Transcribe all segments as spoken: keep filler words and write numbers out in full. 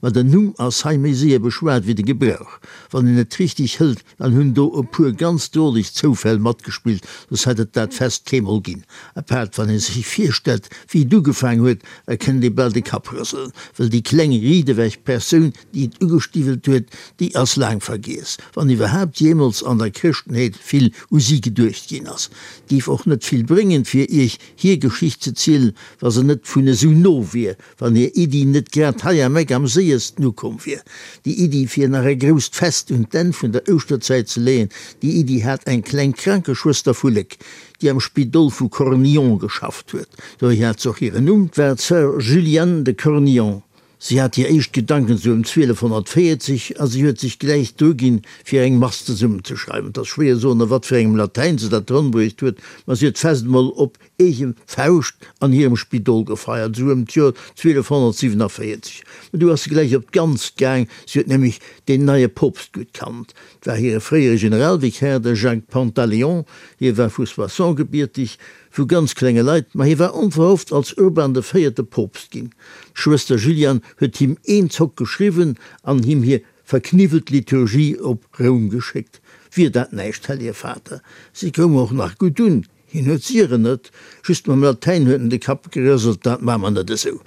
Ma den Numm ass hei méi séier beschwat wéi de Gebrauch. Wann een et richteg hëlt, dann hunn do e puer ganz droleg Zoufäll matgespillt, soss hätt et dat Fest keemol ginn. Apaart wann ee sech virstellt, wéi et ugefaang huet, da kënnt ee bal de Kapp rëselen, well déi kleng riidewech Persoun, déi et ugestiwwelt huet, déi ass laang vergiess, wann iwwerhaapt jeemools an der Chrëschtenheet vill u si geduecht ginn ass. Et géif och net vill bréngen, fir iech hir Geschicht ze zielen, wa se net vun esou no wier, wann hir Iddi net grad hei am Eck am séiersten ukomm wier. Déi Iddi, fir nach e grousst Fest un d'Enn vun der Ouschterzäit ze leeën, déi Iddi hat eng kleng Krankeschwëster vu Léck, déi am Spidol vu Cornillon geschafft huet. Dohier hat se och hiren Numm, 't war d'Sœur Juliane de Cornillon. Si hat hir éischt Gedanken sou ëm zwielefhonnertvéierzeg a si huet sech gläich druginn, fir eng Mass zesummenzeschreiwen. Et ass schwéier soen, a wat fir engem Latäin se dat ronbruecht huet, ma si huet d'Fest emol op eege Fauscht an hirem Spidol gefeiert, sou ëm d'Joer zwielefhonnertsiwenavéierzeg. Ma du ass se gläich op d'Ganzt gaang, si huet nämlech deen neie Poopst gutt kannt. Et war hire fréiere Generalvikär, de Jacques Pantaléon. Hie war vu Soissons gebierteg, vu ganz klenge Leit, ma hie war onverhofft als Urban de Véierte Poopst ginn. D'Schwëster Juliane huet him een Zock geschriwwen an him hir verkniwwelt Liturgie op Roum geschéckt. Wier dat näischt, Hellege Vater? Si koum och nach gutt un. Hien huet si erënnert, just mam Latäin huet en de Kapp gerëselt, dat maa mer net esou.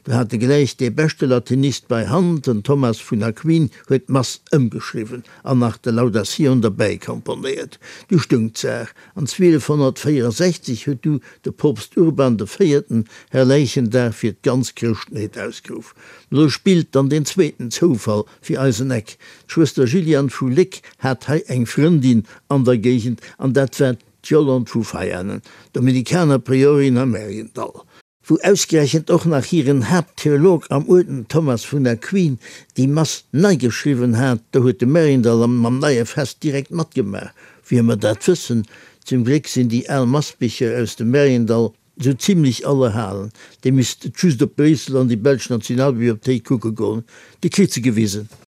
Do hat e gläich dee beschte Latinist bei Hand, den Thomas vun Aquin huet d'Mass ëmgeschriwwen an nach de Lauda Sion derbäi komponéiert. Du stoung d'Saach, an zwielefhonnertvéierensechzeg huet du de Poopst Urban de Véierten Herrläichendag fir d'ganz Chrëschtenheet ausgeruff. Lo spillt dann deen zweeten Zoufall fir eisen Eck, D'Schwëster Juliane vu Léck hat hei eng Frëndin an der Géigend, an dat war d'Yolande vu Veianen, Dominikanerpriorin am Mariendall. Wou ausgerechent och nach hiren Haapttheolog am Uerden, Thomas vun Aquin, déi Mass nei geschriwwen hat, do huet de Mariendall mam neie Fest direkt matgemaach. Wouhier mer dat wëssen? Zum Gléck sinn déi al Massbicher aus dem Mariendall sou zimlech all erhalen. Dir misst just op Bréissel an déi belsch Nationalbibliothéik kucke goen, Dir kritt se gewisen.